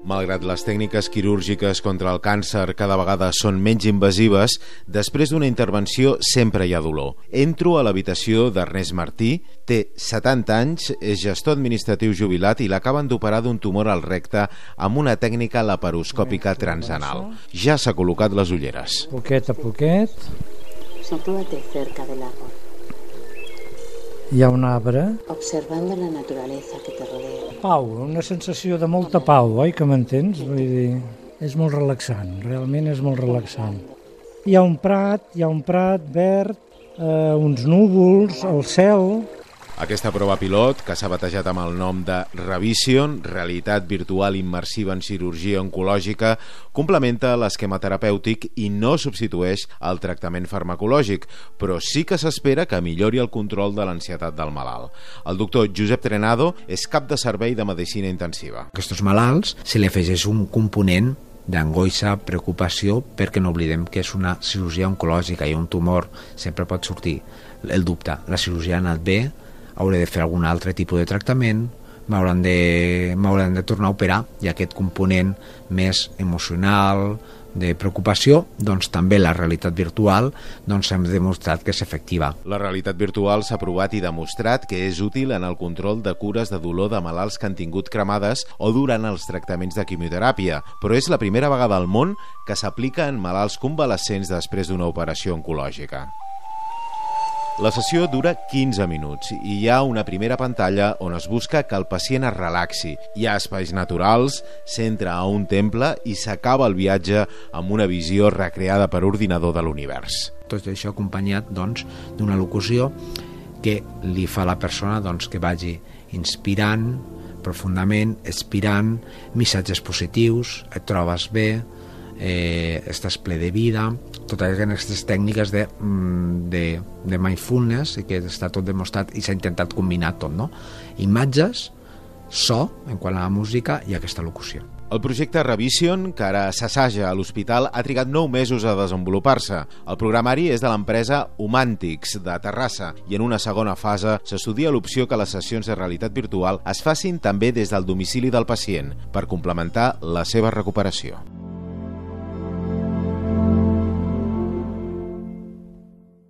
Malgrat les tècniques quirúrgiques contra el càncer cada vegada són menys invasives, després d'una intervenció sempre hi ha dolor. Entro a l'habitació d'Ernest Martí, té 70 anys, és gestor administratiu jubilat i l'acaben d'operar d'un tumor al recte amb una tècnica laparoscòpica transanal. Ja s'ha col·locat les ulleres. Poquet a poquet. Sitúate cerca del árbol. Hi ha un arbre. Observando la naturaleza que te rodea. Pau, una sensació de molta pau, oi que m'entens? Vull dir, és molt relaxant, realment és molt relaxant. Hi ha un prat verd, uns núvols, el cel. Aquesta prova pilot, que s'ha batejat amb el nom de Revision, realitat virtual immersiva en cirurgia oncològica, complementa l'esquema terapèutic i no substitueix el tractament farmacològic, però sí que s'espera que millori el control de l'ansietat del malalt. El doctor Josep Trenado és cap de servei de medicina intensiva. A aquests malalts se li afegeix un component d'angoixa, preocupació, perquè no oblidem que és una cirurgia oncològica i un tumor sempre pot sortir el dubte. La cirurgia ha anat bé, hauré de fer algun altre tipus de tractament, m'hauran de tornar a operar, i aquest component més emocional, de preocupació, doncs també la realitat virtual hem demostrat que és efectiva. La realitat virtual s'ha provat i demostrat que és útil en el control de cures de dolor de malalts que han tingut cremades o durant els tractaments de quimioteràpia, però és la primera vegada al món que s'aplica en malalts convalescents després d'una operació oncològica. La sessió dura 15 minuts i hi ha una primera pantalla on es busca que el pacient es relaxi. Hi ha espais naturals, s'entra a un temple i s'acaba el viatge amb una visió recreada per ordinador de l'univers. Tot això acompanyat d'una locució que li fa a la persona que vagi inspirant profundament, expirant, missatges positius, et trobes bé, estàs ple de vida, totes aquestes tècniques de mindfulness, i que està tot demostrat i s'ha intentat combinar tot, no? Imatges, so, en quant a la música, i aquesta locució. El projecte Revision, que ara s'assaja a l'hospital, ha trigat 9 mesos a desenvolupar-se. El programari és de l'empresa Humàntics, de Terrassa, i en una segona fase s'estudia l'opció que les sessions de realitat virtual es facin també des del domicili del pacient, per complementar la seva recuperació.